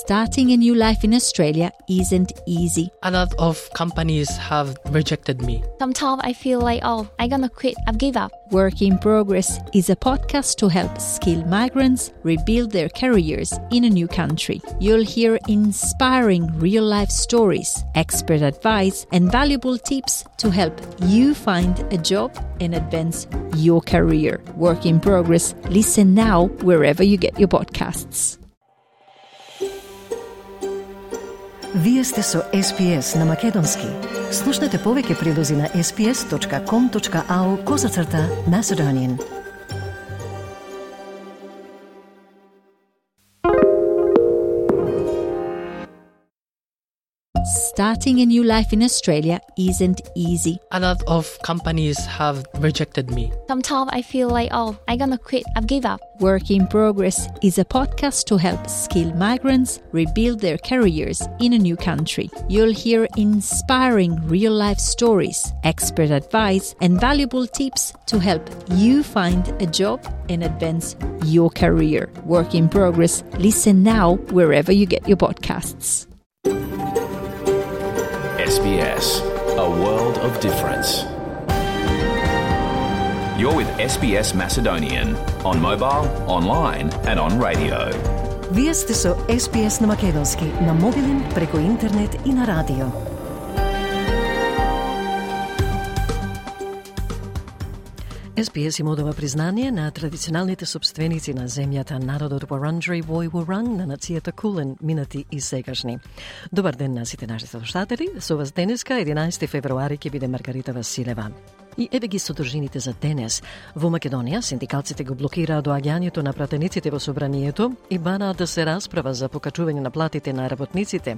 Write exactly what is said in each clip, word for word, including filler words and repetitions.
Starting a new life in Australia isn't easy. A lot of companies have rejected me. Sometimes I feel like, oh, I'm gonna quit, I've give up. Work in Progress is a podcast to help skilled migrants rebuild their careers in a new country. You'll hear inspiring real-life stories, expert advice, and valuable tips to help you find a job and advance your career. Work in Progress. Listen now wherever you get your podcasts. Вие сте со Ес Пи Ес на Македонски. Слушнете повеќе прилози на ес пи ес точка ком точка ау козацрта Macedonian. Starting a new life in Australia isn't easy. A lot of companies have rejected me. Sometimes I feel like, oh, I'm gonna quit, I've give up. Work in Progress is a podcast to help skilled migrants rebuild their careers in a new country. You'll hear inspiring real-life stories, expert advice, and valuable tips to help you find a job and advance your career. Work in Progress. Listen now wherever you get your podcasts. Ес Би Ес, a world of difference. You're with Ес Би Ес Macedonian on mobile, online and on radio. Вие сте со Ес Пи Ес на Македонски, на мобилен, преку интернет и на радио. Ес Пи Ес им одава признание на традиционалните собственици на земјата, народот Вуранџери вој Вуранг, на нацијата Кулен, минати и сегашни. Добар ден на сите нашите слушатели. Со вас денеска, единаесети февруари, ќе биде Маргарита Василева. И еве ги содржините за денес. Во Македонија, синдикалците го блокираат доаѓањето на пратениците во собранието и бараат да се расправа за покачување на платите на работниците.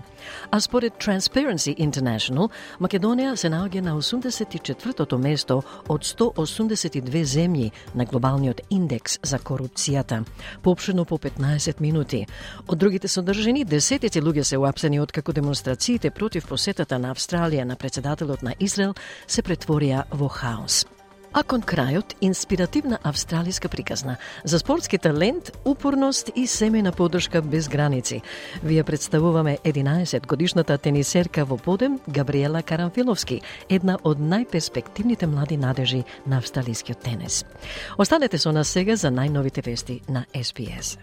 А според Transparency International, Македонија се наоѓа на осумдесет и четвртото место од сто осумдесет и две земји на глобалниот индекс за корупцијата, поопштено по петнаесет минути. Од другите содржини, десетици луѓе се уапсени откако демонстрациите против посетата на Австралија на председателот на Израел се претворија во хаос. А кон крајот, инспиративна австралиска приказна за спортски талент, упорност и семејна поддршка без граници. Вие представуваме единаесет годишната тенисерка во подем Габриела Карамфиловски, една од најперспективните млади надежи на австралискиот тенис. Останете со нас сега за најновите вести на Ес Би Ес.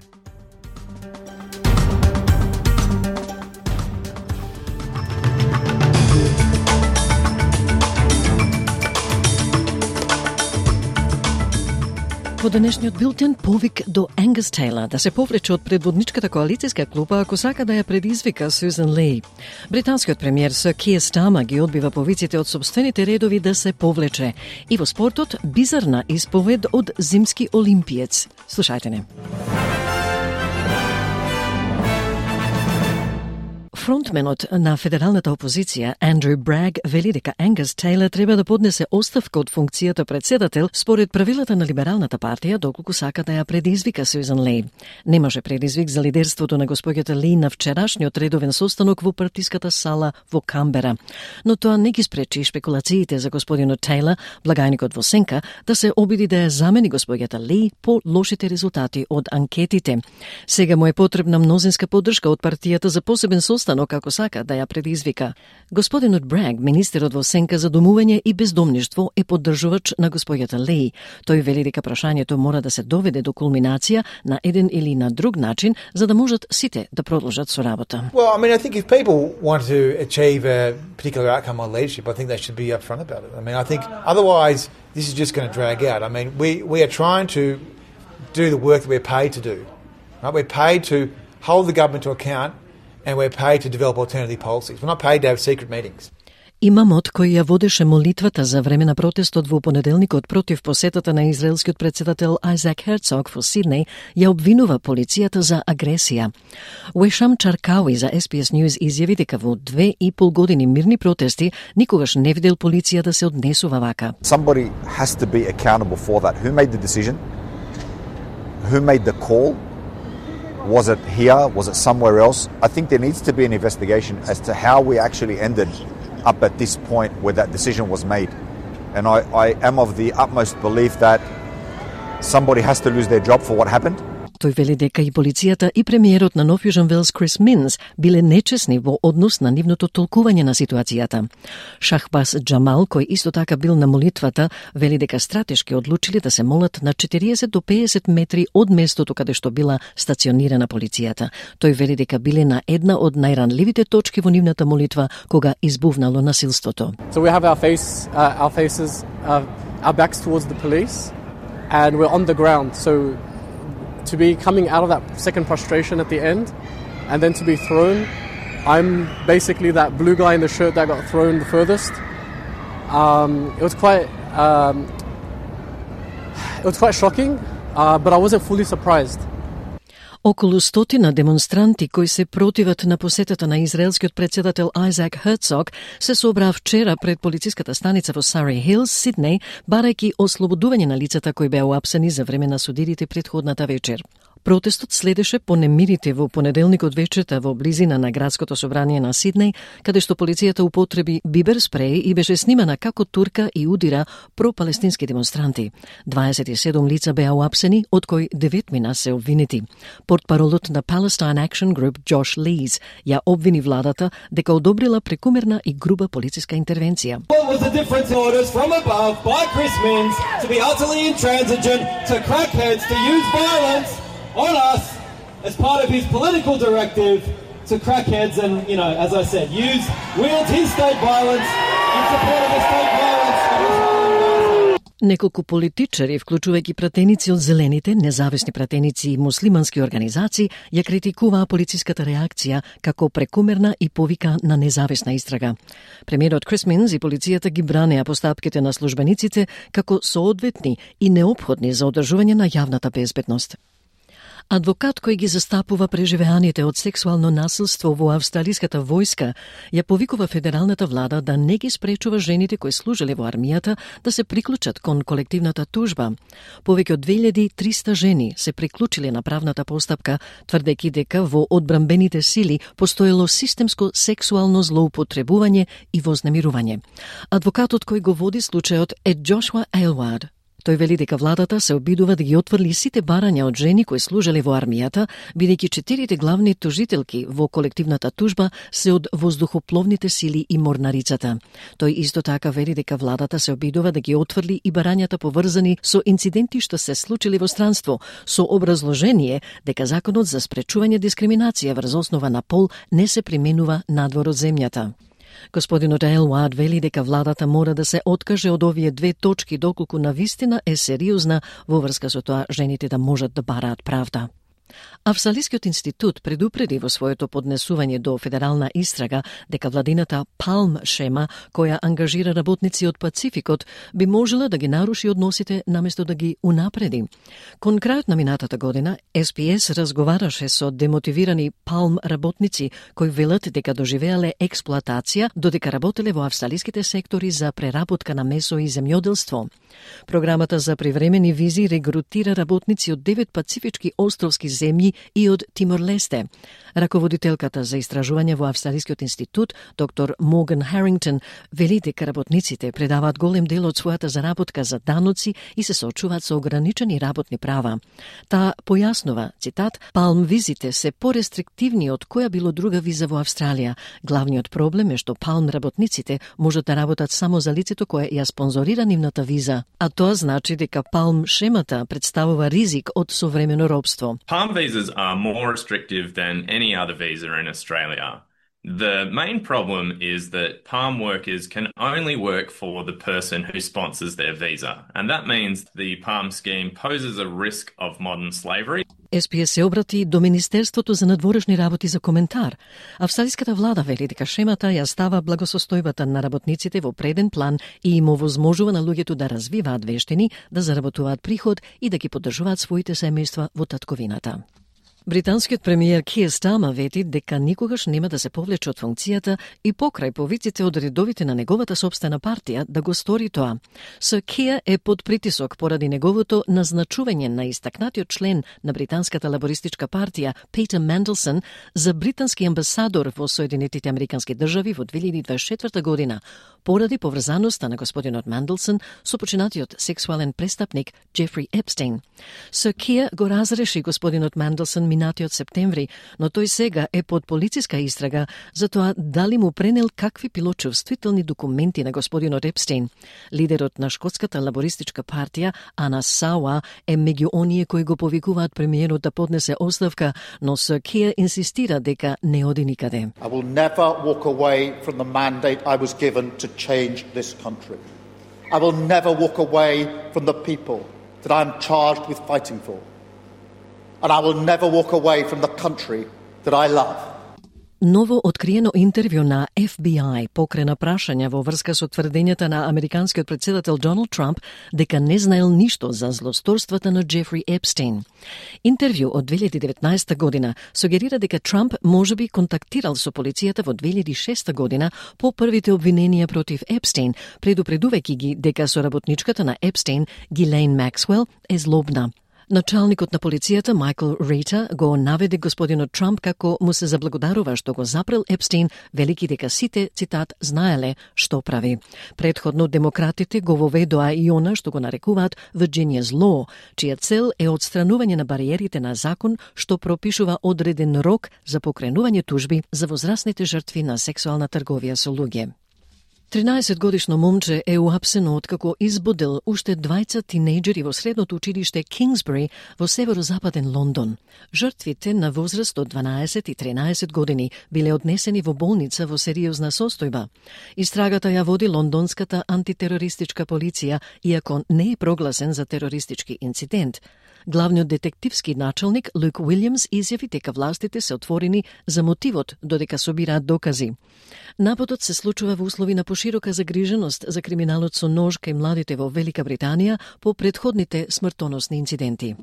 Во денешниот билтен повик до Ангус Тейлор да се повлече од предводничката коалицијска клупа ако сака да ја предизвика Сюзан Ли. Британскиот премиер Сир Киер Стармер ги одбива повиците од сопствените редови да се повлече. И во спортот бизарна исповед од зимски олимпиец. Слушајте не. Фронтменот на федералната опозиција Андрю Браг вели дека Ангус Тейлор треба да поднесе оставка од функцијата председател според правилата на либералната партија доколку сака да ја предизвика Сюзан Ли. Немаше предизвик за лидерството на господјата Ли на вчерашниот редовен состанок во партиската сала во Камбера, но тоа не ги спречи шпекулациите за господинот Тейлор, благајникот во сенка, да се обиди да ја замени господјата Ли по лошите резултати од анкетите. Сега му е потребна мнозинска поддршка од партијата за посебен состанок како сака да ја предизвика. Господинот Браг, министерот во сенка за домување и бездомништво, е поддржувач на господјата Ли. Тој вели дека прашањето мора да се доведе до кулминација на еден или на друг начин за да можат сите да продолжат со работа. Well, I mean, I think if people want to achieve a particular outcome on leadership, I think they should be upfront about it. I mean, I think otherwise this is just going to drag out. I mean, we we are trying to do the work that we're paid to do. Right? We're paid to hold the government to account. And we're paid to develop alternative policies. We're not paid to have secret meetings. Имамот кој ја водеше молитвата за време на протестот во понеделникот против посетата на израелскиот председател Айзек Херцог во Сиднеј ја обвинува полицијата за агресија. Уешам Чаркауи за Ес Би Ес News изјави дека во две и пол години мирни протести никогаш не видел полиција да се однесува вака. Somebody has to be accountable for that. Who made the decision? Who made the call? Was it here? Was it somewhere else? I think there needs to be an investigation as to how we actually ended up at this point where that decision was made. And I, I am of the utmost belief that somebody has to lose their job for what happened. Тој вели дека и полицијата и премиерот на Нов Јужен Велс Крис Минс биле нечесни во однос на нивното толкување на ситуацијата. Шахбас Џамал, кој исто така бил на молитвата, вели дека стратешки одлучили да се молат на четириесет до пеесет метри од местото каде што била стационирана полицијата. Тој вели дека биле на една од најранливите точки во нивната молитва кога избувнало насилството. So we have our face, uh, our faces, uh, our backs towards the police, and we're on the ground. So to be coming out of that second prostration at the end, and then to be thrown, I'm basically that blue guy in the shirt that got thrown the furthest. Um, it was quite, um, it was quite shocking, uh, but I wasn't fully surprised. Околу стотина демонстранти кои се противат на посетата на израелскиот претседател Айзек Херцог се собраа вчера пред полициската станица во Сари Хилс, Сиднеј, барајќи ослободување на лицата кои беа уапсени за време на судирите претходната вечер. Протестот следеше по немирите во понеделникот вечерта во близина на градското собрание на Сиднеј, каде што полицијата употреби бибер спреј и беше снимана како турка и удира пропалестински демонстранти. дваесет и седум лица беа уапсени, од кои деветмина се обвинети. Портпаролот на Palestine Action Group Josh Lees ја обвини владата дека одобрила прекумерна и груба полициска интервенција. What was the difference in orders from above by Chris Minns to be utterly intransigent to crackheads to use violence on us as part of his political directive to crackheads and, you know, as I said, use, wield his state violence in support of the state violence of Israel. Неколку политичари, вклучувајќи пратеници од зелените, независни пратеници и муслимански организации, ја критикуваа полициската реакција како прекумерна и повика на независна истрага. Премиерот Крис Минс и полицијата ги бранеа постапките на службениците како соодветни и неопходни за одржување на јавната безбедност. Адвокат кој ги застапува преживеаните од сексуално насилство во австралиската војска ја повикува федералната влада да не ги спречува жените кои служеле во армијата да се приклучат кон колективната тужба. Повеќе од две илјади и триста жени се приклучиле на правната постапка, тврдејќи дека во одбранбените сили постоело системско сексуално злоупотребување и вознемирување. Адвокатот кој го води случајот е Джошуа Ейлвард. Тој вели дека владата се обидува да ги отврли сите барања од жени кои служеле во армијата, бидејќи четирите главни тужителки во колективната тужба се од воздухопловните сили и морнарицата. Тој исто така вели дека владата се обидува да ги отврли и барањата поврзани со инциденти што се случили во странство, со образложение дека законот за спречување дискриминација врз основа на пол не се применува надвор од земјата. Господинот Елвард вели дека владата мора да се откаже од овие две точки доколку навистина е сериозна во врска со тоа жените да можат да бараат правда. Австралискиот институт предупреди во своето поднесување до федерална истрага дека владината Palm шема, која ангажира работници од Пацификот, би можела да ги наруши односите наместо да ги унапреди. Кон крајот на минатата година, Ес Би Ес разговараше со демотивирани Palm работници кои велат дека доживеале експлоатација додека работеле во австралиските сектори за преработка на месо и земјоделство. Програмата за привремени визи регрутира работници од девет пацифички островски земји и од Тимор-Лесте. Раководителката за истражување во Австралискиот институт, доктор Морган Харингтон, вели дека работниците предаваат голем дел од својата заработка за даноци и се соочуваат со ограничени работни права. Таа појаснува, цитат, Palm визите се порестриктивни од која било друга виза во Австралија. Главниот проблем е што Palm работниците можат да работат само за лицето кое ја спонзорира нивната виза, а тоа значи дека Palm шемата представува ризик од современо робство. Palm visas are more restrictive than any other visa in Australia. The main problem is that Palm workers can only work for the person who sponsors their visa, and that means the Palm scheme poses a risk of modern slavery. Ес Би Ес се обрати до Министерството за надворешни работи за коментар. Австралиската влада вели дека шемата ја става благосостојбата на работниците во преден план и им овозможува на луѓето да развиваат вештини, да заработуваат приход и да ги поддржуваат своите семејства во татковината. Британскиот премиер Киер Стармер вети дека никогаш нема да се повлече од функцијата и покрај повиците од редовите на неговата собствена партија да го стори тоа. Сир Киер е под притисок поради неговото назначување на истакнатиот член на британската лабористичка партија Питер Менделсон за британски амбасадор во Соединетите Американски држави во две илјади дваесет и четврта година, поради поврзаноста на господинот Менделсон со починатиот сексуален престапник Джефри Епстейн. Сир Киер го разреши господинот Менделсон минатиот септември, но тој сега е под полициска истрага за тоа дали му пренел какви пилочувствителни документи на господинот Епстейн. Лидерот на шкотската лабористичка партија, Ана Сауа, е меѓу оние кои го повикуваат премиерот да поднесе оставка, но Сир Киер инсистира дека не оди никаде. I will never walk away from the mandate I was given to change this country. I will never walk away from the people that I am charged with fighting for. And I will never walk away from the country that I love. Ново откриено интервју на Еф Би Ај покрена прашања во врска со тврдењата на американскиот претседател Доналд Трамп дека не знаел ништо за злосторствата на Джефри Епстейн. Интервју од две илјади и деветнаесета година сугерира дека Трамп можеби контактирал со полицијата во две илјади и шеста година по првите обвиненија против Епстейн, предупредувајќи ги дека соработничката на Епстейн, Гилейн Максвел, е злобна. Началникот на полицијата Майкл Рита го наведе господинот Трамп како му се заблагодарува што го запрел Епстейн, велики дека сите, цитат, знаеле што прави. Предходно демократите го воведоа и она што го нарекуваат Virginia's Law, чија цел е одстранување на бариерите на закон што пропишува одреден рок за покренување тужби за возрастните жртви на сексуална трговија со луѓе. тринаесет годишно момче е уапсено откако избодел уште двајца тинејџери во средното училиште Кингсбери во северозападен Лондон. Жртвите на возраст од дванаесет и тринаесет години биле однесени во болница во сериозна состојба. Истрагата ја води лондонската антитерористичка полиција, иако не е прогласен за терористички инцидент. Главниот детективски началник Люк Уилјамс изјави дека властите се отворени за мотивот додека собираат докази. Нападот се случува во услови на поширока загриженост за криминалот со нож кај младите во Велика Британија по претходните смртоносни инциденти.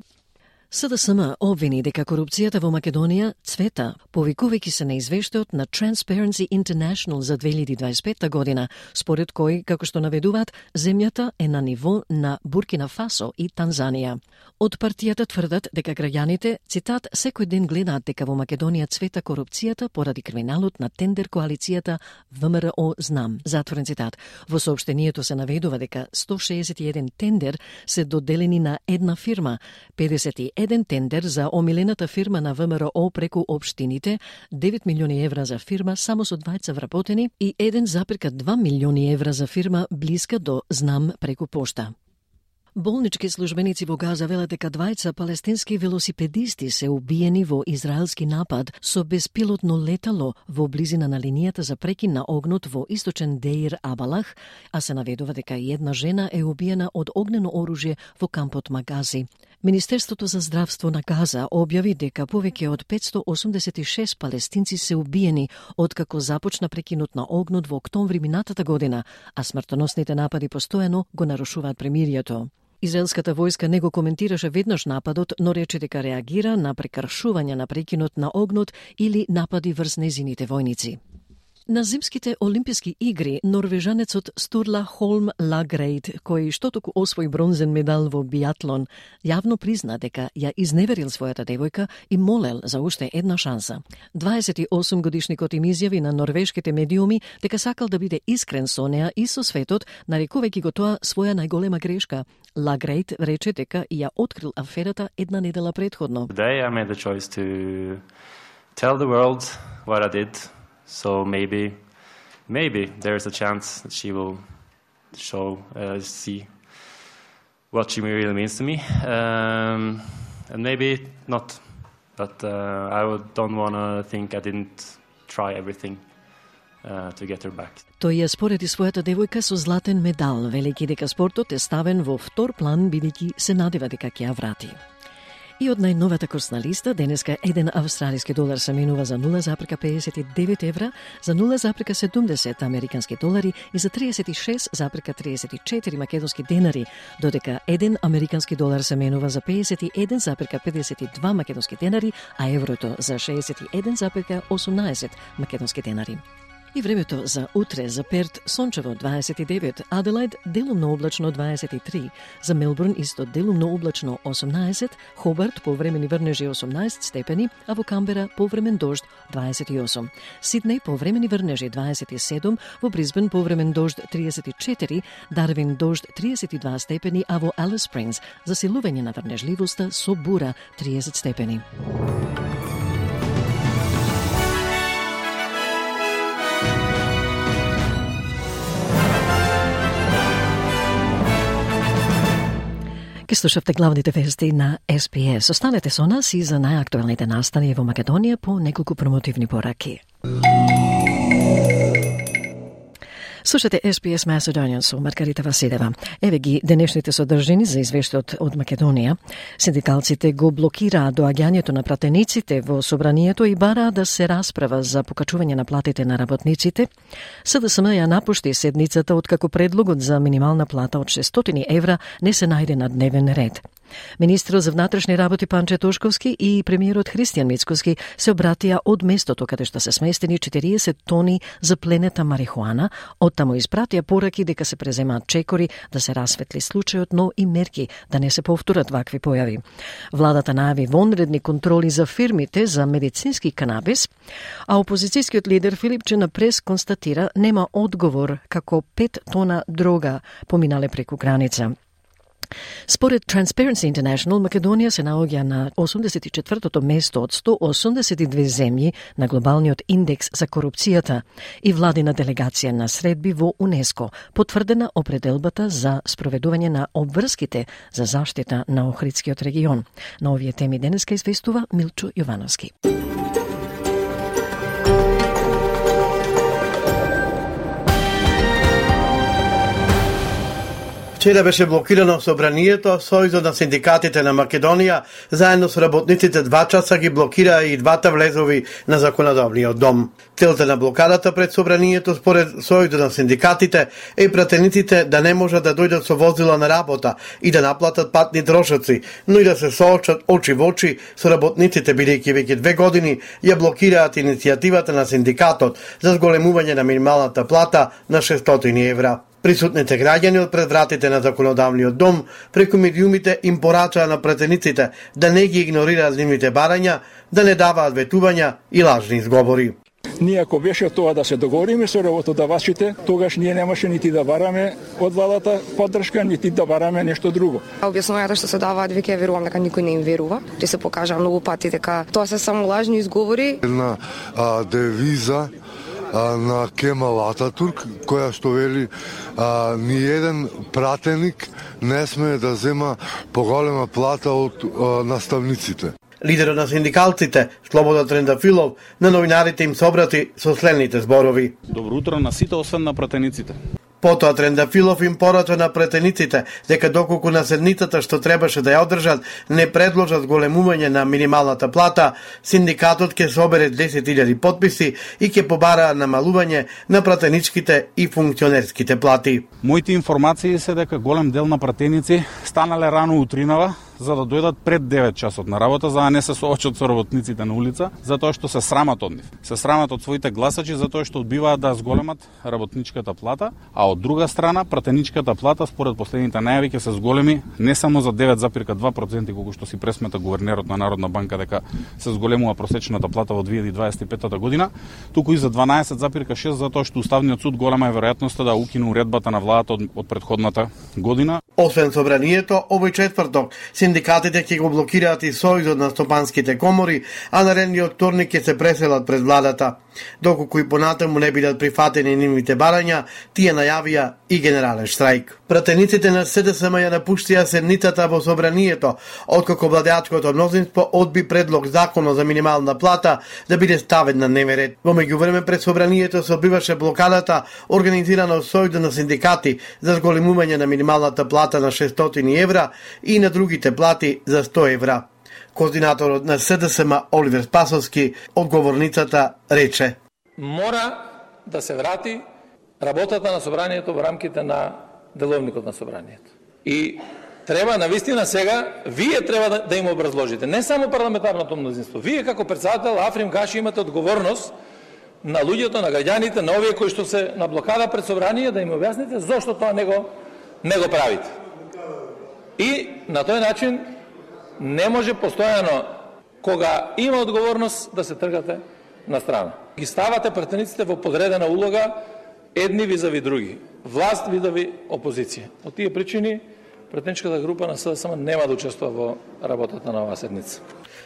Се Де Ес Ем обвини дека корупцијата во Македонија цвета, повикувајќи се на извештајот на Transparency International за две илјади дваесет и петта година, според кој, како што наведуваат, земјата е на ниво на Буркина Фасо и Танзанија. Од партијата тврдат дека граѓаните, цитат, секој ден гледаат дека во Македонија цвета корупцијата поради криминалот на тендер коалицијата Вэ Ем Р О Знам. Затворен цитат. Во соопштението се наведува дека сто шеесет и еден тендер се доделени на една фирма, педесет и еден тендер за омилената фирма на Вэ Ем Р О преку општините, девет милиони евра за фирма само со двајца вработени и еден зарез два милиони евра за фирма блиска до Знам преку пошта. Болнички службеници во Газа велат дека двајца палестински велосипедисти се убиени во израелски напад со беспилотно летало во близина на линијата за прекин на огнот во источен Деир Абалах, а се наведува дека и една жена е убиена од огнено оружје во кампот Магази. Министерството за здравство на Газа објави дека повеќе од петстотини осумдесет и шест палестинци се убиени откако започна прекинот на огнот во октомври минатата година, а смртоносните напади постојано го нарушуваат премирието. Израелската војска не го коментираше веднаш нападот, но рече дека реагира на прекршување на прекинот на огнот или напади врз незините војници. На зимските олимписки игри норвежанецот Стурла Холм Лагрейд, кој штотоку освои бронзен медал во биатлон, јавно призна дека ја изневерил својата девојка и молел за уште една шанса. дваесет и осум годишникот им изјави на норвешките медиуми дека сакал да биде искрен со неа и со светот, нарекувајќи го тоа своја најголема грешка. Лагрейд рече дека ја открил аферата една недела предходно. Today I made the choice to tell the world what I did. So maybe, maybe there is a chance that she will show, uh, see what she really means to me, um, and maybe not. But uh, I don't want to think I didn't try everything uh, to get her back. Тој ја спореди својата девојка со златен медал, велики дека спортот е ставен во втор план, бидејќи се надева дека ќе ја врати. И од најновата курсна листа, денеска еден австралиски долар се менува за нула запирка педесет и девет евра, за нула запирка седумдесет американски долари и за триесет и шест запирка триесет и четири македонски денари, додека еден американски долар се менува за педесет и еден запирка педесет и два македонски денари, а еврото за шеесет и еден запирка осумнаесет македонски денари. И времето за утре: за Перт сончево дваесет и девет, Аделаид делумно облачно дваесет и три, за Мелбурн исто делумно облачно осумнаесет, Хобарт повремени врнежи осумнаесет степени, а во Камбера повремен дожд дваесет и осум. Сиднеј повремени врнежи дваесет и седум, во Брисбен повремен дожд триесет и четири, Дарвин дожд триесет и два степени, а во Алис Спрингс засилување на врнежливоста со бура триесет степени. Ке слушавте главните вести на Ес Би Ес. Останете со нас и за најактуелните настани во Македонија по неколку промотивни пораки. Слушате Ес Би Ес Macedonian со Маргарита Василева. Еве ги денешните содржини за извештајот од Македонија. Синдикалците го блокираат доаѓањето на пратениците во собранието и бараат да се расправа за покачување на платите на работниците. Се Де Ес Ем ја напушти седницата откако предлогот за минимална плата од шестстотини евра не се најде на дневен ред. Министерот за внатрешни работи Панче Тошковски и премиерот Христијан Мицкоски се обратија од местото каде што се сместени четириесет тони запленета марихуана, оттаму испратија пораки дека се преземаат чекори да се расветли случајот, но и мерки да не се повторат вакви појави. Владата најави вонредни контроли за фирмите за медицински канабис, а опозицијскиот лидер Филипче на прес констатира нема одговор како пет тона дрога поминале преку граница. Според Transparency International, Македонија се наоѓа на осумдесет и четвртото место од сто осумдесет и две земји на глобалниот индекс за корупцијата и владина делегација на средби во УНЕСКО, потврдена определбата за спроведување на обврските за заштита на Охридскиот регион. На овие теми денеска известува Милчо Јовановски. Вчера беше блокирано собранието, Сојузот на синдикатите на Македонија заедно со работниците два часа ги блокираа и двата влезови на законодавниот дом. Целта на блокадата пред собранието според Сојузот на синдикатите е пратениците да не можат да дојдат со возила на работа и да наплатат патни трошоци, но и да се соочат очи во очи со работниците, бидејќи веќе две години ја блокираат иницијативата на синдикатот за зголемување на минималната плата на шестстотини евра. Присутните граѓани од пред вратите на законодавниот дом преку медиумите им порачаа на пратениците да не ги игнорираат нивните барања, да не даваат ветувања и лажни изговори. Ние ако беше тоа да се договориме со работодавачите, тогаш ние немаше нити да бараме од владата поддршка, нити да бараме нешто друго. Објаснувањата што се даваат, веќе ја верувам дека никој не им верува. Ти се покажа многу пати дека тоа се само лажни изговори. Една а, девиза на Кемал Ататурк, која што вели а, ни еден пратеник не смее да зема поголема плата од а, наставниците. Лидерот на синдикалците, Слободан Трендафилов, на новинарите им се обрати со следните зборови. Добро утро на сите, освен на пратениците. Потоа Трендафилов им порача на пратениците дека доколку на седницата што требаше да ја одржат не предложат големување на минималната плата, синдикатот ќе собере десет илјади потписи и ќе побараа намалување на пратеничките и функционерските плати. Моите информации се дека голем дел на пратеници станале рано утринава за да дојдат пред девет часот на работа, за да не се соочат со работниците на улица, затоа што се срамат од нив. Се срамат од своите гласачи затоа што одбиваат да зголемат работничката плата, а од друга страна пратеничката плата според последните најави ќе се зголеми не само за девет запирка два проценти колку што си пресмета гувернерот на Народна банка дека се зголемува просечната плата во две илјади дваесет и пета година, туку и за дванаесет запирка шест затоа што Уставниот суд голема е веројатноста да укине уредбата на владата од, од претходната година. Освен собранието, овој четврток синдикатите ќе го блокираат и Сојузот на стопанските комори, а наредниот вторник ќе се преселат пред владата. Доколку и понатаму не бидат прифатени нивните барања, тие најавија и генерален штрајк. Пратениците на Се Де Ес Ем ја напуштија седницата во собранието, откако владеачкото мнозинство одби предлог законот за минимална плата да биде ставен на дневен ред. Во меѓувреме пред собранието се одбиваше блокадата организирана од Сојузот на синдикати за зголемување на минималната плата на шестстотини евра и на другите плати за сто евра. Координаторот на С Д С М Оливер Спасовски од говорницата рече: Мора да се врати работата на собранието во рамките на деловникот на собранието. И треба навистина сега вие треба да, да им образложите, не само парламентарното мнозинство. Вие како председател Африм Гаши имате одговорност на луѓето, на граѓаните, на овие кои што се на блокада пред собрание, да им објасните зошто тоа не го не го правите. И на тој начин не може постојано кога има одговорност да се тргате на страна. Ги ставате пратениците во подредена улога едни визави други, власт видави опозиција. Од тие причини пратеничката група на С Д С М нема да учествува во работата на оваа седница.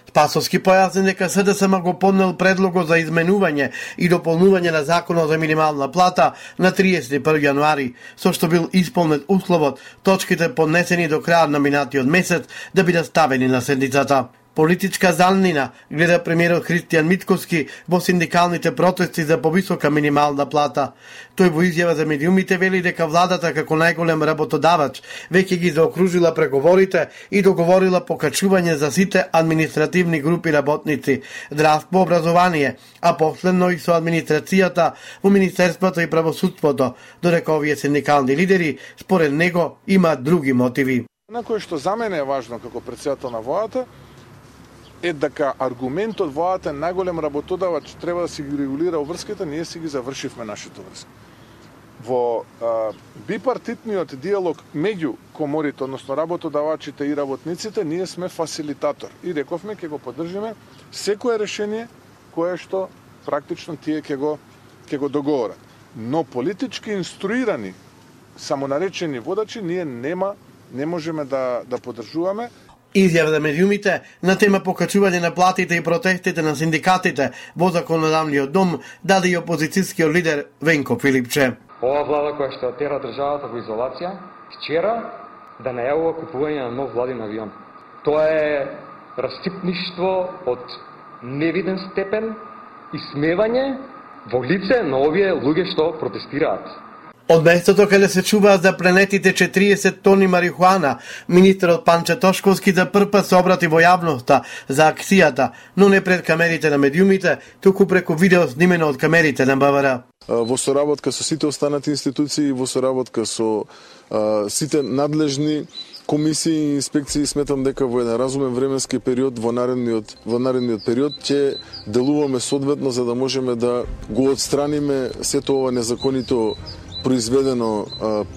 Спасовски појасни дека С Д С М го поднел предлогот за изменување и дополнување на законот за минимална плата на триесет и први јануари, со што бил исполнет условот точките поднесени до крајот на минатиот месец да бидат ставени на седницата. Политичка заннина гледа премиерот Христијан Митковски во синдикалните протести за повисока минимална плата. Тој во изјава за медиумите вели дека владата како најголем работодавач веќе ги заокружила преговорите и договорила покачување за сите административни групи работници, здравство, образование, а последно и со администрацијата во Министерството и правосудството, додека овие синдикални лидери според него имаат други мотиви. На кое што за мене е важно како председател на владата е дека аргументот владата е најголем работодавач треба да си ги регулира врските, ние си ги завршивме нашите врски. Во а, бипартитниот диалог меѓу коморите, односно работодавачите и работниците, ние сме фасилитатор и рековме ќе го поддржиме секое решение кое што практично тие ќе го ќе го договорат. Но политички инструирани самонаречени водачи ние нема не можеме да да поддржуваме. Изјава за медиумите на тема покачување на платите и протестите на синдикатите во законодавниот дом даде и опозицијскиот лидер Венко Филипче. Ова влада која што тера државата во изолација, вчера да најавува купување на нов владин авион. Тоа е растипништво од невиден степен и смевање во лице на овие луѓе што протестираат. Од местото каде се чуваат за пренетите четириесет тони марихуана, министерот Панче Тошковски за прв пат се обрати во јавноста за акцијата, но не пред камерите на медиумите, туку преку видео снимено од камерите на Б В Р. Во соработка со сите останати институции, во соработка со а, сите надлежни комисии и инспекции, сметам дека во еден разумен временски период во наредниот во наредниот период ќе делуваме соодветно за да можеме да го отстраниме сето ова незаконито произведено,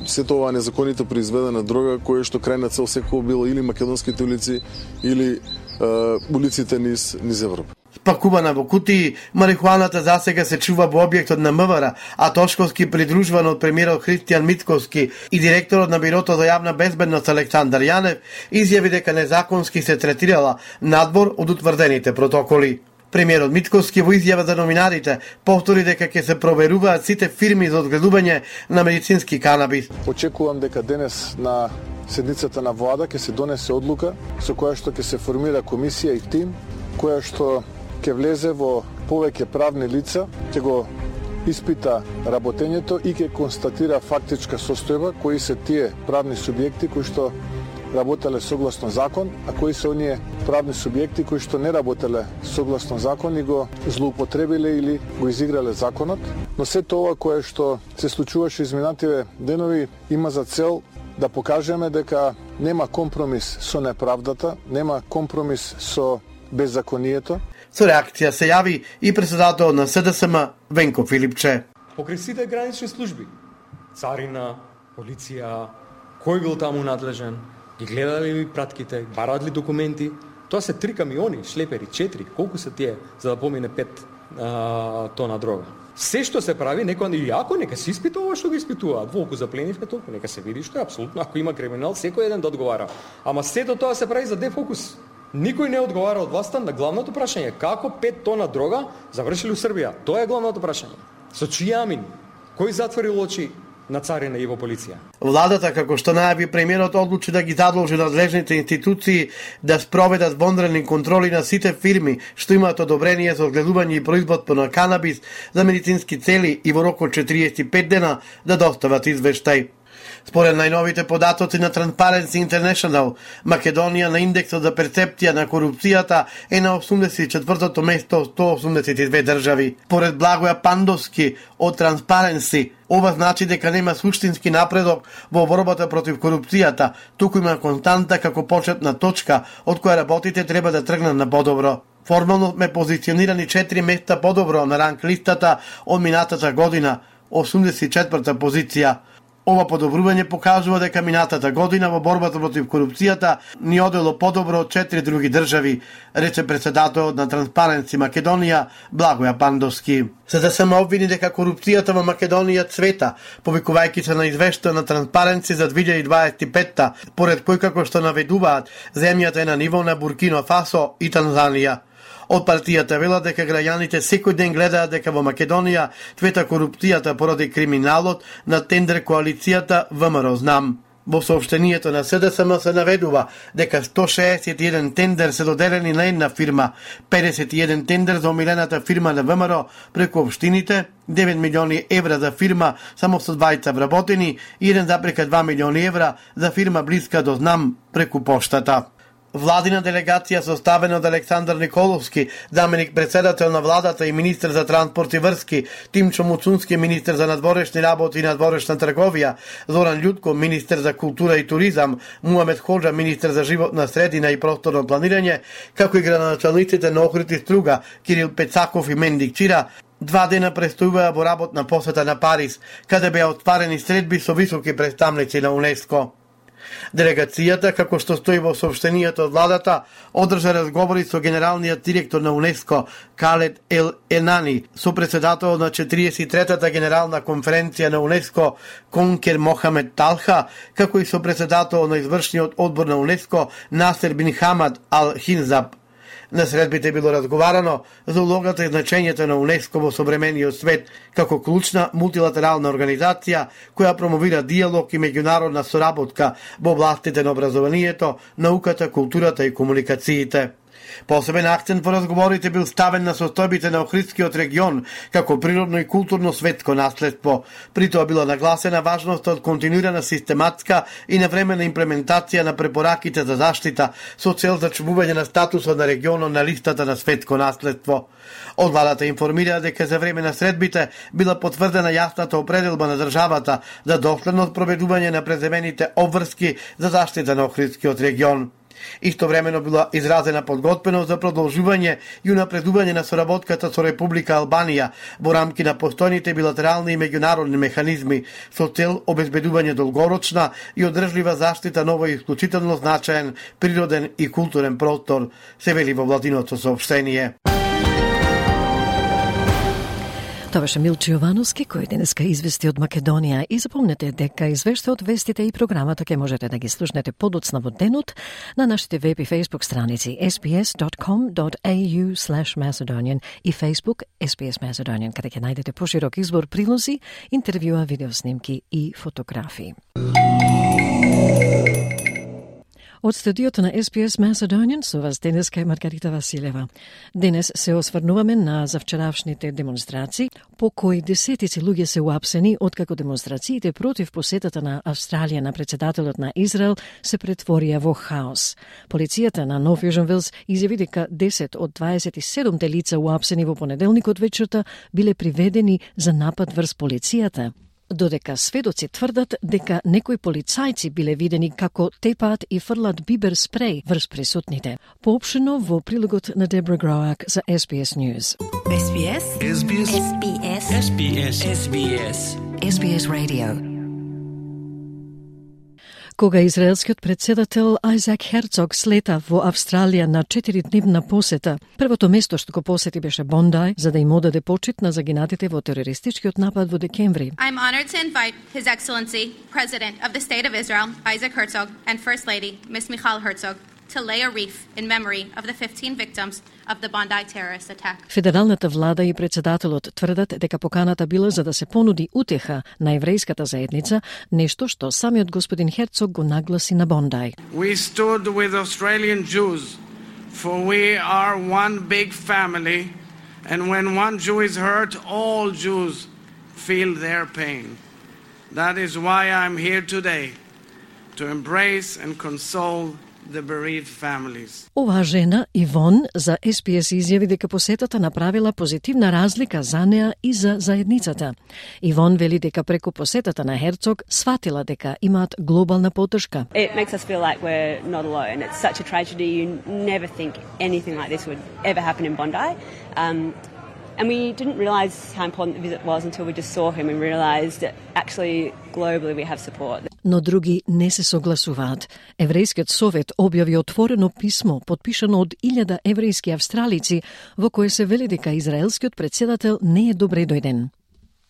сето ова незаконито произведена дрога, кое што крајна цел секој било или македонските улици или а, улиците низ низ Европа. Спакувана во кутии, марихуаната засега се чува во објектот на М В Р, а Тошковски, придружуван од премиерот Христијан Митковски и директорот на Бирото за јавна безбедност Александар Јанев, изјави дека незаконски се третирала надвор од утврдените протоколи. Премиерот Митковски во изјава за новинарите повтори дека ќе се проверуваат сите фирми за одгледување на медицински канабис. Очекувам дека денес на седницата на влада ќе се донесе одлука со која што ќе се формира комисија и тим која што ќе влезе во повеќе правни лица, ќе го испита работењето и ќе констатира фактичка состојба кои се тие правни субјекти кои што работеле согласно закон, а кои се оние правни субјекти кои што не работеле согласно закон и го злоупотребиле или го изиграле законот. Но сето ова кое што се случуваше изминативе денови има за цел да покажеме дека нема компромис со неправдата, нема компромис со беззаконието. Со реакција се јави и председател на С Д С М Венко Филипче. Покрај сите гранични служби, царина, полиција, кој бил таму надлежен, ги гледали ли пратките, барат ли документи, тоа се три камиони, шлепери, четири, колку се тие за да помине пет а, тона дрога. Се што се прави, некој и ако нека се испита ова што го испитуваат, волку запленивме толку, нека се види што е апсолутно, ако има криминал, секој еден да одговара. Ама сето тоа се прави за дефокус. Никој не одговара од власта на главното прашање, како пет тона дрога завршили у Србија. Тоа е главното прашање. Со чија амин? Кој затворил очи на царина и во полиција? Владата, како што најави премиерот, одлучи да ги задолжи надлежните институции да спроведат вонредни контроли на сите фирми што имаат одобрение за одгледување и производство на канабис за медицински цели и во рок од четириесет и пет дена да достават извештај. Според најновите податоци на Transparency International, Македонија на индексот за перцепција на корупцијата е на осумдесет и четвртото место од сто осумдесет и две држави. Поред Благоја Пандовски од Transparency, ова значи дека нема суштински напредок во борбата против корупцијата, туку има константа како почетна точка од која работите треба да тргнат на подобро. Формално ме позиционирани четири места подобро на ранг листата од минатата година, осумдесет и четврта позиција. Ова подобрување покажува дека минатата година во борбата против корупцијата ни одело подобро од четири други држави, рече председателот на Transparency Македонија Благоја Пандовски. За да се обвини дека корупцијата во Македонија цвета, повикувајќи се на извештај на Transparency за две илјади дваесет и петта, поред кој како што наведуваат, земјата е на ниво на Буркина Фасо и Танзанија. Од партијата велат дека граѓаните секој ден гледаат дека во Македонија цвета корупцијата поради криминалот на тендер коалицијата ВМРО Знам. Во соопштението на СДСМ се наведува дека сто шеесет и еден тендер се доделени на една фирма, педесет и еден тендер за омилената фирма на ВМРО преку општините, девет милиони евра за фирма само со двајца вработени и еден запрека два милиони евра за фирма блиска до Знам преку поштата. Владина делегација составена од Александар Николовски, заменик председател на владата и министер за транспорт и врски, Тимчо Муцунски, министер за надворешни работи и надворешна трговија, Зоран Љутко, министер за култура и туризам, Муамед Ходжа, министер за животна средина и просторно планирање, како и градоначалниците на Охрид и Струга, Кирил Пецаков и Мендик Чира, два дена престојуваа во работна посета на Париз, каде беа отварени средби со високи представници на УНЕСКО. Делегацијата, како што стои во соопштението од владата, одржа разговори со генералниот директор на УНЕСКО Калед Ел Енани, со председателот на четириесет и третата генерална конференција на УНЕСКО Конкер Мохамед Талха, како и со председателот на извршниот одбор на УНЕСКО Насер Бин Хамад Ал Хинзаб. На средбите било разговарано за улогата и значењето на УНЕСКО во современиот свет како клучна мултилатерална организација која промовира диалог и меѓународна соработка во областите на образованието, науката, културата и комуникациите. Посебен акцент во разговорите бил ставен на состојбите на Охридскиот регион како природно и културно светско наследство. При тоа била нагласена важноста од континуирана систематска и навремена имплементација на препораките за заштита со цел зачувување на статусот на регионот на листата на светско наследство. Од владата информира дека за време на средбите била потврдена јасната определба на државата за доследно проведување на преземените обврски за заштита на Охридскиот регион. Истовремено била изразена подготвеност за продолжување и унапредување на соработката со Република Албанија во рамки на постојните билатерални и меѓународни механизми со цел обезбедување долгорочна и одржлива заштита на овој исклучително значаен природен и културен простор, се вели во владиното соопштение. Тоа беше Милчо Јовановски, кој денеска извести од Македонија. И запомнете дека извештајот, вестите и програмата ќе можете да ги слушнете подоцна во денот на нашите веб и фейсбук страници ес би ес dot com dot a u slash Macedonian и Facebook ес би ес Macedonian, каде ќе најдете поширок избор прилози, интервјуа, видеоснимки и фотографии. Од студиото на ес би ес Macedonian со вас денеска е Маргарита Василева. Денес се осврнуваме на завчеравшните демонстрации, по кои десетици луѓе се уапсени откако демонстрациите против посетата на Австралија на председателот на Израел се претворија во хаос. Полицијата на Нов Јужен Велс изјави дека десет од дваесет и седумте лица уапсени во понеделникот вечерта биле приведени за напад врз полицијата, додека сведоци тврдат дека некои полицајци биле видени како тепаат и фрлат бибер спреј врз присутните. Поопштено во прилогот на Дебра Гроак за ес би ес News. ес би ес ес би ес ес би ес ес би ес ес би ес ес би ес Radio. Кога израелскиот председател Ајзак Херцог слета во Австралија на четиридневна посета, првото место што го посети беше Бондај за да им одаде почит на загинатите во терористичкиот напад во декември. I'm honored to invite His Excellency, President of the State of Israel, Isaac Herzog, and First Lady, Miss Michal Herzog, to lay a wreath in memory of the fifteen victims of the Bondi terrorist attack. Федералната влада и председателот тврдат дека поканата била за да се понуди утеха на еврејската заедница, нешто што самиот господин Херцог го нагласи на Бондај. We stood with Australian Jews, for we are one big family, and when one Jew is hurt, all Jews feel their pain. That is why I'm here today, to embrace and console the bereaved families. Оваа жена, Ивон, за Ес Би Ес изјави дека посетата направила позитивна разлика за неа и за заедницата. Ивон вели дека преку посетата на Херцог сватила дека имаат глобална поддршка. It makes us feel like we're not alone. It's such a tragedy. You never think anything like this would ever happen in Bondi. Um, And we didn't realise how important the visit was until we just saw him and realised that actually globally we have support. Но други не се согласуваат. Еврејскиот совет објави отворено писмо, подпишано од илјада еврејски австралици, во кое се вели дека израелскиот председател не е добре дојден.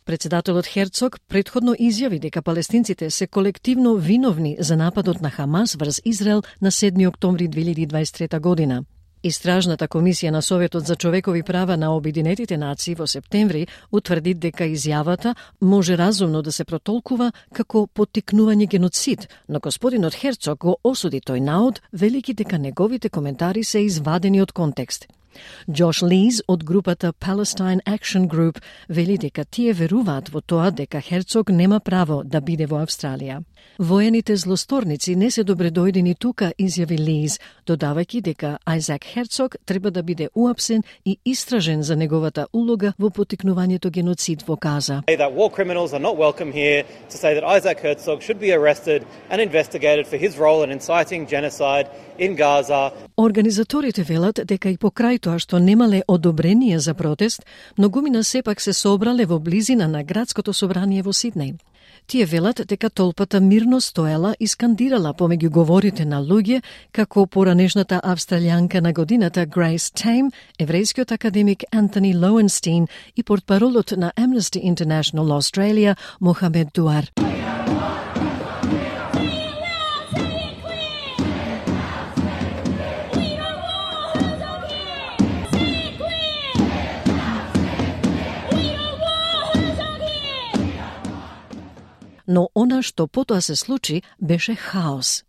Председателот Херцог претходно изјави дека палестинците се колективно виновни за нападот на Хамас врз Израел на седми октомври две илјади и дваесет и трета година. Истражната комисија на Советот за човекови права на Обединетите нации во септември утврди дека изјавата може разумно да се протолкува како поттикнување геноцид, но господинот Херцог го осуди тој наод, велики дека неговите коментари се извадени од контекст. Джош Лиз од групата Palestine Action Group вели дека тие веруваат во тоа дека Херцог нема право да биде во Австралија. Воените злосторници не се добредојдени тука, изјави Лиз, додавајќи дека Ајзак Херцог треба да биде уапсен и истражен за неговата улога во поттикнувањето геноцид во Газа. That war criminals are not welcome here, to say that Isaac Herzog should be arrested and investigated for his role in inciting genocide in Gaza. Организаторите велат дека и покрај тоа што немале одобрение за протест, многумина сепак се собрале во близина на градското собрание во Сиднеј. Тие велат дека толпата мирно стоела и скандирала помеѓу говорите на луѓе, како поранешната австралијанка на годината Грейс Тейм, еврејскиот академик Антони Лоуенстин и портпаролот на Amnesty International Australia Мохамед Дуар. Но она што потоа се случи беше хаос.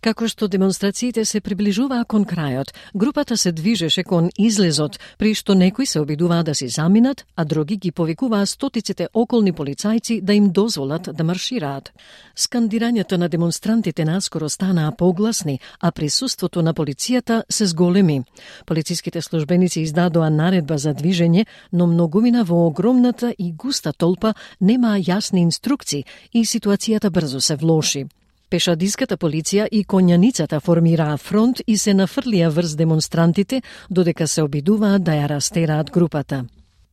Како што демонстрациите се приближуваа кон крајот, групата се движеше кон излезот, при што некои се обидуваа да си заминат, а други ги повикуваа стотиците околни полицајци да им дозволат да маршираат. Скандирањата на демонстрантите наскоро станаа погласни, а присуството на полицијата се зголеми. Полициските службеници издадоа наредба за движење, но многумина во огромната и густа толпа немаа јасни инструкции и ситуацијата брзо се влоши. Пешадиската полиција и конјаницата формираа фронт и се нафрлија врз демонстрантите, додека се обидуваат да ја растераат групата.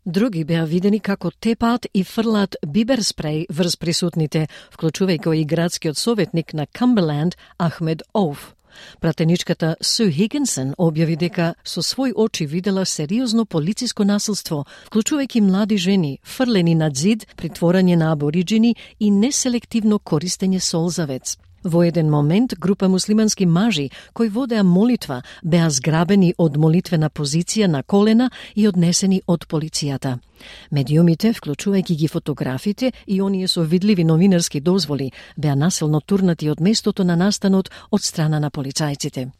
Други беа видени како тепаат и фрлаат бибер спреј врз присутните, вклучувајќи и градскиот советник на Камберленд Ахмед Оуф. Пратеничката Су Хигинсон објави дека со свој очи видела сериозно полициско насилство, вклучувајќи млади жени, фрлени над зид, притворање на абориджини и неселективно користење солзавец. Во еден момент, група муслимански мажи кои водеа молитва беа зграбени од молитвена позиција на колена и однесени од полицијата. Медиумите, вклучувајќи ги фотографите и оние со видливи новинарски дозволи, беа насилно турнати од местото на настанот од страна на полицајците.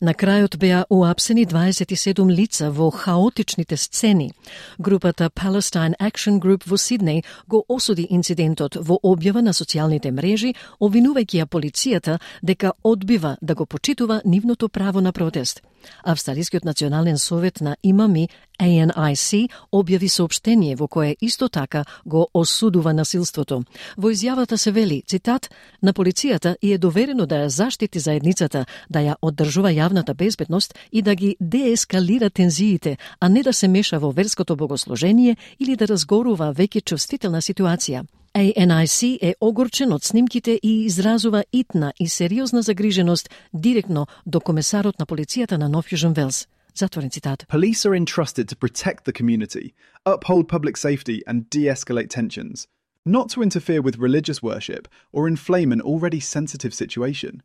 На крајот беа уапсени дваесет и седум лица во хаотичните сцени. Групата Palestine Action Group во Сиднеј го осуди инцидентот во објава на социјалните мрежи, обвинувајќи ја полицијата дека одбива да го почитува нивното право на протест. Австралискиот национален совет на имами А Н I C објави соопштение во кое исто така го осудува насилството. Во изјавата се вели, цитат, на полицијата и е доверено да ја заштити заедницата, да ја оддржува јавната јавната безбедност и да ги деескалира тензиите, а не да се меша во верското богослужение или да разгорува веќе чувствителна ситуација. A N I C е огорчен од снимките и изразува итна и сериозна загриженост директно до комесарот на полицијата на Нов Јужен Велс. Затворен цитат. Police are entrusted to protect the community, uphold public safety and de-escalate tensions, not to interfere with religious worship or inflame an already sensitive situation.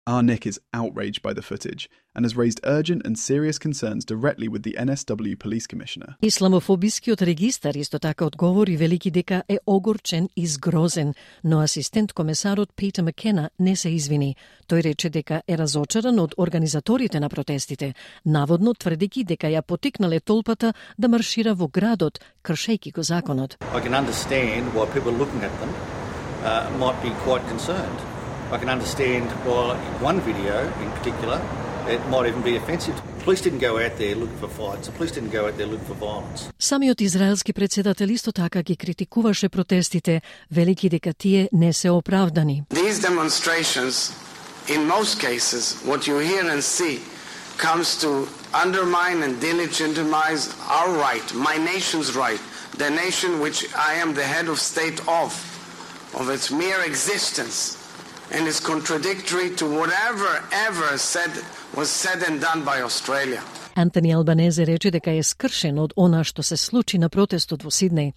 Our Nick is outraged by the footage and has raised urgent and serious concerns directly with the N S W Police Commissioner. Исламофобискиот регистар исто така одговори велики дека е огорчен и згрозен, но асистент комесарот Питер Маккена не се извини. Тој рече дека е разочаран од организаторите на протестите, наводно тврдејќи дека ја потикнале толпата да маршира во градот, кршејќи го законот. I can understand why people looking at them uh, might be quite concerned. I can understand why one video in particular, it might even be offensive. The police didn't go out there looking for fights. The police didn't go out there looking for violence. Самиот израелски председател исто така ги критикуваше протестите, велики дека тие не се оправдани. These demonstrations, in most cases, what you hear and see comes to undermine and delegitimize our right, my nation's right, the nation which I am the head of state of, of its mere existence. And is contradictory to whatever ever said was said and done by Australia. Антони Албанезе рече дека е скршен од она што се случи на протестот во Сиднеј.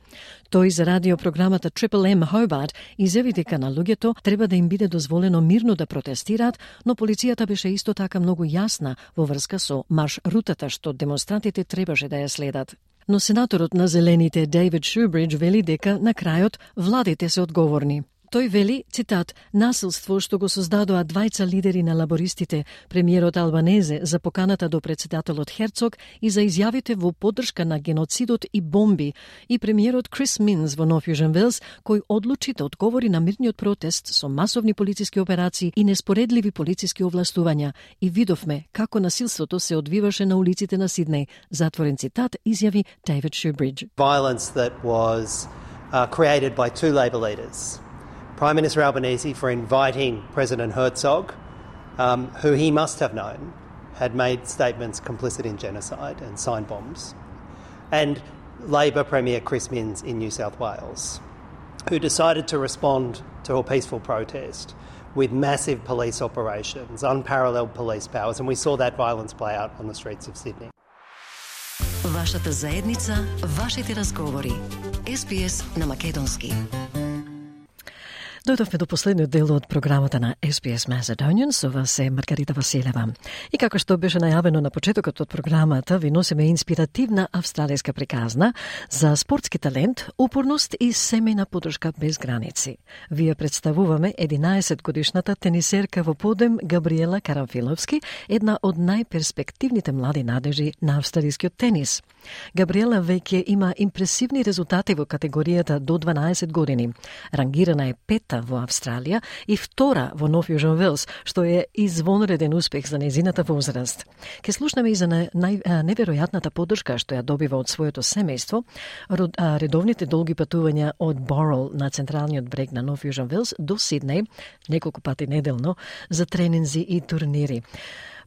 Тој за радиопрограмата Triple M Hobart изјави дека на луѓето треба да им биде дозволено мирно да протестираат, но полицијата беше исто така многу јасна во врска со марш-рутата што демонстрантите требаше да ја следат. Но сенаторот на Зелените Дейвид Шубридж вели дека на крајот владите се одговорни. Тој вели, цитат, насилство што го создадоа двајца лидери на лабористите, премиерот Албанезе за поканата до председателот Херцог и за изјавите во поддршка на геноцидот и бомби, и премиерот Крис Минс во Нов Јужен Велс, кој одлучи да одговори на мирниот протест со масовни полициски операции и неспоредливи полициски овластувања, и видовме како насилството се одвиваше на улиците на Сиднеј. Затворен цитат, изјави Дейвид Шубридж. Violence that was uh, created by two Labor leaders. Prime Minister Albanese for inviting President Herzog, um, who he must have known had made statements complicit in genocide and signed bombs, and Labor Premier Chris Minns in New South Wales, who decided to respond to a peaceful protest with massive police operations, unparalleled police powers, and we saw that violence play out on the streets of Sydney. Вашата заедница, вашите разговори. С Б С на македонски. Дојдовме до последниот дел од програмата на С Б С Macedonian, со вас е Маргарита Василева. И како што беше најавено на почетокот од програмата, ви носиме инспиративна австралијска приказна за спортски талент, упорност и семејна поддршка без граници. Вие представуваме единаесет годишната тенисерка во подем Габриела Карамфиловски, една од најперспективните млади надежи на австралискиот тенис. Габриела веќе има импресивни резултати во категоријата до дванаесет години. Рангирана е пета во Австралија и втора во Нов Јужен Велс, што е извонреден успех за незината возраст. Ке слушнеме и за неверојатната поддршка што ја добива од своето семејство, редовните долги патувања од Борол на централниот брег на Нов Јужен Велс до Сиднеј, неколку пати неделно, за тренинзи и турнири.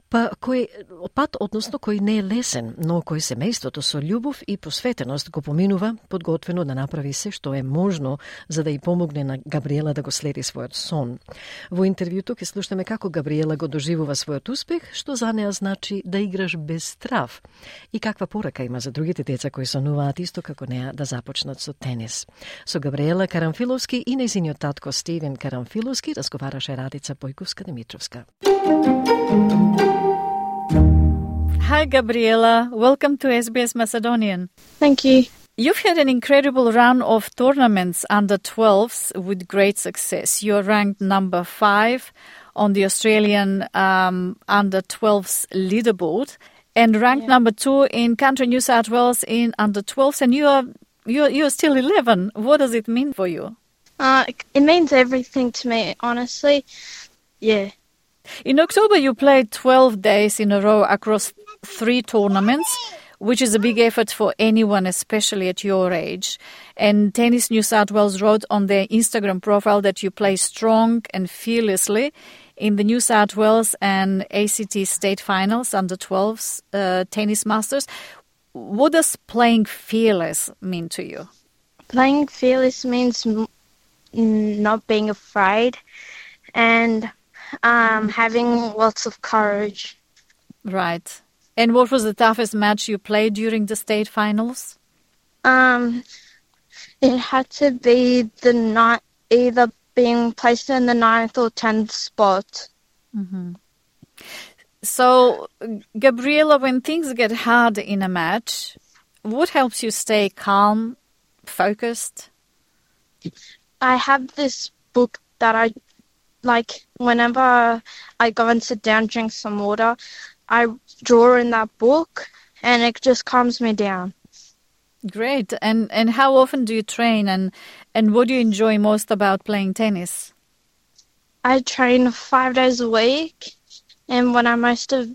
Па кој пат, односно кој не е лесен, но кој семејството со љубов и посветеност го поминува, подготвено да направи се што е можно за да ја помогне на Габриела да го следи својот сон. Во интервјуто ќе слушнеме како Габриела го доживува својот успех, што за неа значи да играш без страв и каква порака има за другите деца кои сонуваат исто како неа да започнат со тенис. Со Габриела Карамфиловски и нејзиниот татко Стивен Карамфиловски разговараше Радица Бојковска-Димитровска. Hi, Gabriela. Welcome to S B S Macedonian. Thank you. You've had an incredible run of tournaments under twelves with great success. You're ranked number five on the Australian um, under twelves leaderboard and ranked yeah. number two in Country New South Wales in under twelves, and you are you're, you're still eleven. What does it mean for you? Uh, it means everything to me, honestly. Yeah. In October, you played twelve days in a row across three tournaments, which is a big effort for anyone, especially at your age. And Tennis New South Wales wrote on their Instagram profile that you play strong and fearlessly in the New South Wales and A C T state finals under twelves uh, tennis masters. What does playing fearless mean to you? Playing fearless means m- not being afraid and um, having lots of courage. Right. And what was the toughest match you played during the state finals? Um, it had to be the night, either being placed in the ninth or tenth spot. Mm-hmm. So, Gabriela, when things get hard in a match, what helps you stay calm, focused? I have this book that I, like, whenever I go and sit down, drink some water, I draw in that book and it just calms me down. Great. And and how often do you train, and, and what do you enjoy most about playing tennis? I train five days a week, and what I most of,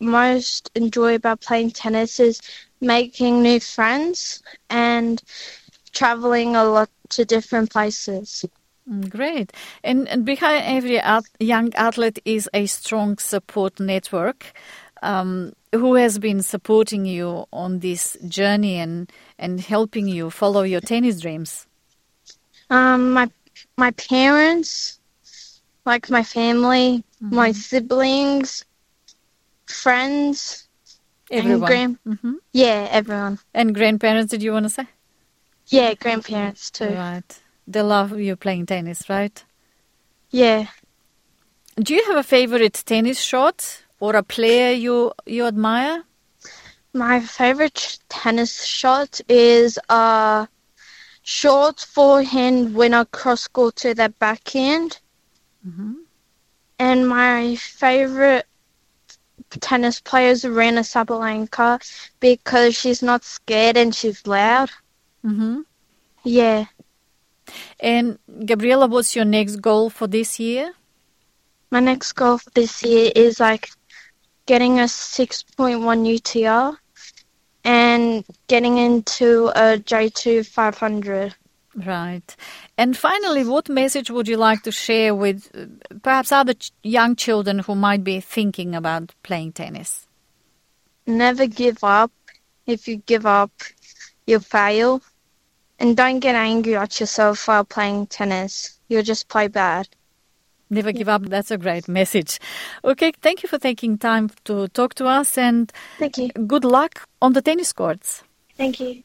most enjoy about playing tennis is making new friends and traveling a lot to different places. Great. And, and behind every at, young athlete is a strong support network. Um, who has been supporting you on this journey and, and helping you follow your tennis dreams? Um, my my parents, like my family, mm-hmm. my siblings, friends, everyone. And grand- mm-hmm. Yeah, everyone. And grandparents, did you want to say? Yeah, grandparents too. Right. They love you playing tennis, right? Yeah. Do you have a favorite tennis shot? Or a player you you admire? My favorite tennis shot is a short forehand winner cross court to the backhand. Mm-hmm. And my favorite tennis player is Aryna Sabalenka because she's not scared and she's loud. Mm-hmm. Yeah. And Gabriela, what's your next goal for this year? My next goal for this year is like getting a six point one U T R and getting into a J two five hundred. Right. And finally, what message would you like to share with uh, perhaps other ch- young children who might be thinking about playing tennis? Never give up. If you give up, you'll fail. And don't get angry at yourself while playing tennis. You'll just play bad. Never give up. That's a great message. Okay, thank you for taking time to talk to us, and thank you. Good luck on the tennis courts. Thank you.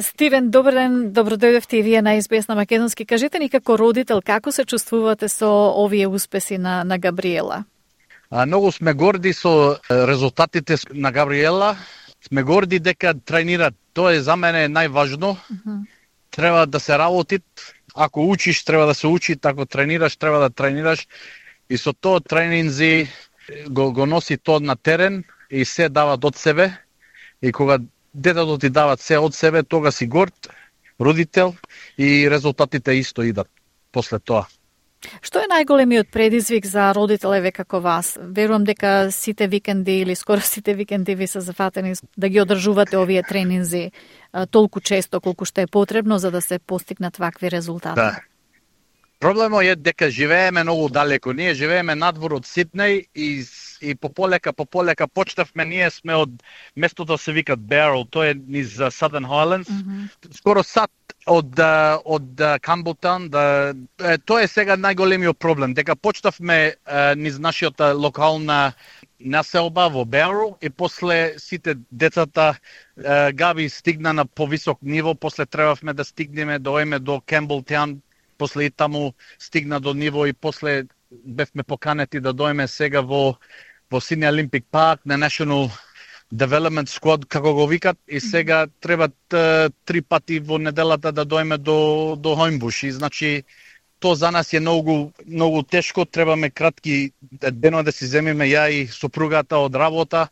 Стивен, добар ден, добро дојдовте и вие на Ес Би Ес на македонски. Кажете ни како родител, како се чувствувате со овие успеси на, на Габриела? А, многу сме горди со резултатите на Габриела. Сме горди дека тренира. Тоа е за мене најважно. Uh-huh. Треба да се работи. Ако учиш, треба да се учи. Ако тренираш, треба да тренираш. И со тоа тренинзи го, го носи тоа на терен и се дава од себе. И кога детето ти дават се од себе, тога си горд, родител и резултатите исто идат после тоа. Што е најголемиот предизвик за родителеве како вас? Верувам дека сите викенди или скоро сите викенди ви се зафатени да ги одржувате овие тренинзи толку често колку што е потребно за да се постигнат вакви резултати. Да. Проблемот е дека живееме многу далеко. Ние живееме надвор од Сиднеј и и пополека пополека почнавме. Ние сме од местото се вика Barrel, тоа е низ Southern Highlands. Mm-hmm. Скоро сат од од Campbelltown, да тоа е сега најголемиот проблем, дека почнавме низ нашата локална населба во Barrel и после сите децата Габи стигна на повисок ниво, после требавме да стигнеме доеме до Campbelltown, после и таму стигна до ниво и после бевме поканети да доеме сега во во Sydney Olympic Park на National Development Squad, како го викат, и сега треба три пати во неделата да доеме до до Homebush. И значи тоа за нас е многу многу тешко, требаме кратки денови да си земиме ја и сопругата од работа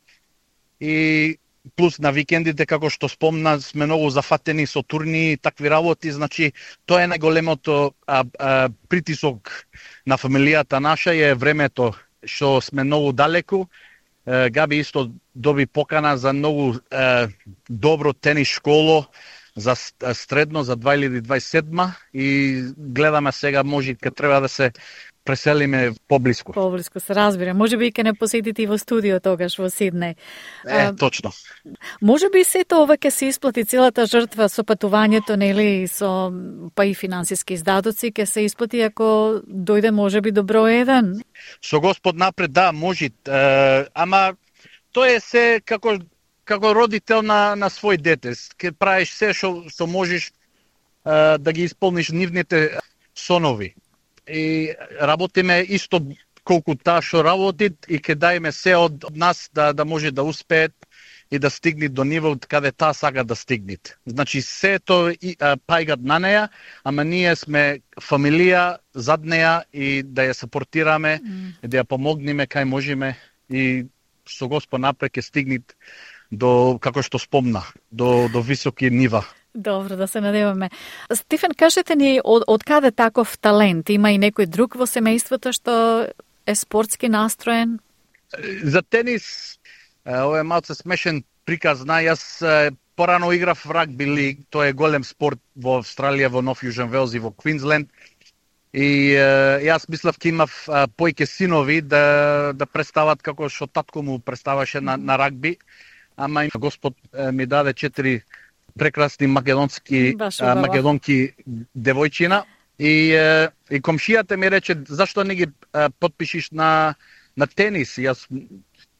и плюс на викендите, како што спомна, сме многу зафатени со турни и такви работи, значи тоа е најголемото а, а, притисок на фамилијата наша е времето што сме многу далеку. Габи исто доби покана за многу е, добро тенис школо за средно за две илјади дваесет и седма и гледаме сега може кога треба да се преселиме поблиску. Поблиску се разбира. Може би ќе не посетите и во студио тогаш во Сиднеј. Е, точно. Може би сето ова ќе се исплати целата жртва со патувањето, нели, со па и финансиски издатоци ќе се исплати ако дојде може би до број еден. Со Господ напред, да, може. Е, ама тоа е се како како родител на на свој дете. Ке правиш се што што можеш е, да ги исполниш нивните сонови. И работиме исто колку таа што работи и ќе дајме се од нас да да може да успеет и да стигне до ниво каде таа сака да стигне. Значи сето и пајгат на неја, ама ние сме фамилија зад неја и да ја сапортираме, mm. и да ја помогнеме кај можеме и со Господ напред ќе стигне до, како што спомна, до до високи нива. Добро, да се надеваме. Стефан, кажете ни од, од каде таков талент? Има и некој друг во семејството што е спортски настроен? За тенис, ова е малце смешен приказ, на јас порано играв рагби лиг, тоа е голем спорт во Австралија, во Нов Јужен Велс и во Квинсленд. И е, јас мислав ке имав појке синови да да представат како што татко му представаше на, на рагби, ама Господ е, ми даде четири прекрасни македонски а, македонки девојчина и е, и комшијата ми рече зашто не ги а, потпишиш на на тенис. Јас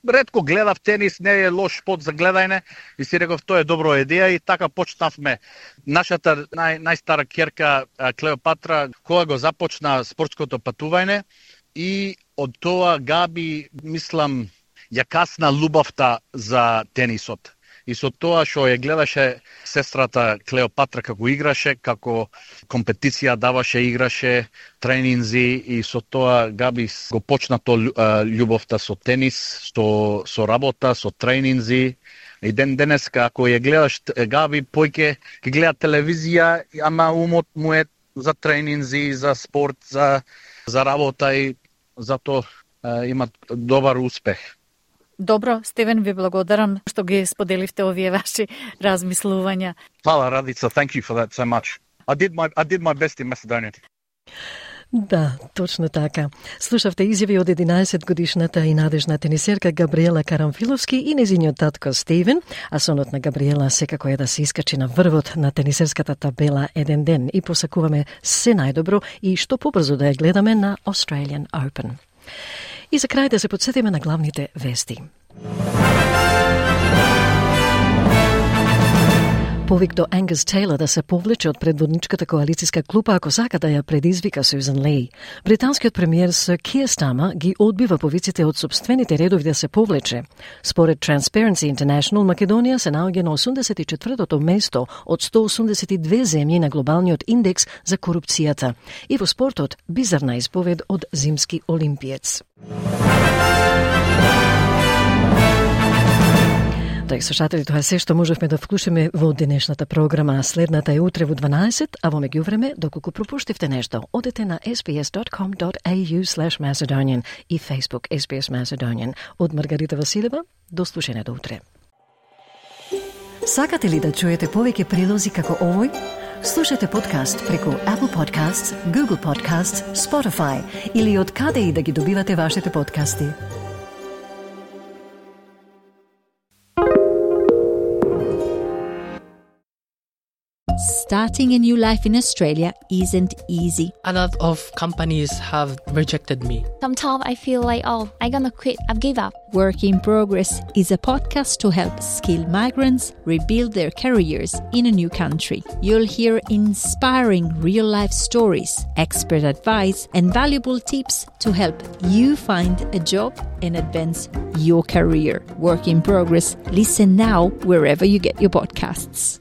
ретко гледав тенис, не е лош спорт за гледање и си реков тоа е добро идеја и така почнавме. Нашата нај, најстара ќерка Клеопатра кога го започна спортското патување и од тоа Габи мислам ја касна љубовта за тенисот. И со тоа што ја гледаше сестрата Клеопатра како играше, како компетиција даваше, играше, тренинзи и со тоа Габи го почна то љубовта со тенис, со со работа, со тренинзи. И ден денеска ако ја гледаш Габи појке ќе гледа телевизија, ама умот му е за тренинзи, за спорт, за за работа и затоа има добар успех. Добро, Стевен, ви благодарам што ги споделивте овие ваши размислувања. Фала, Радица. Thank you for that so much. I did my I did my best in Macedonia. Да, точно така. Слушавте изјави од единаесет годишната и надежна тенисерка Габриела Карамфиловски и незиниот татко Стивен, а сонот на Габриела секако е да се искачи на врвот на тенисерската табела еден ден и посакуваме се најдобро и што побрзо да ја гледаме на Australian Open. И за крај да се подсетиме на главните вести. Повик до Ангус Тейлор да се повлече од предводничката коалицијска клупа ако сака да ја предизвика Сюзан Леј. Британскиот премиер Сир Киер Стармер ги одбива повиците од собствените редови да се повлече. Според Transparency International, Македонија се наоѓа на осумдесет и четвртото место од сто осумдесет и две земји на глобалниот индекс за корупцијата. И во спортот, бизарна исповед од зимски олимпиец. Драги слушатели, тоа е се што можевме да вклучиме во денешната програма. Следната е утре во дванаесет, а во меѓувреме, доколку пропуштивте нешто, одете на ес би ес dot com dot a u slash Macedonian и Facebook ес би ес Macedonian. Од Маргарита Василева, до слушање до утре. Сакате ли да чуете повеќе прилози како овој? Слушате подкаст преку Apple Podcasts, Google Podcasts, Spotify или од каде и да ги добивате вашите подкасти. Starting a new life in Australia isn't easy. A lot of companies have rejected me. Sometimes I feel like, oh, I'm gonna quit, I've give up. Work in Progress is a podcast to help skilled migrants rebuild their careers in a new country. You'll hear inspiring real-life stories, expert advice, and valuable tips to help you find a job and advance your career. Work in Progress. Listen now wherever you get your podcasts.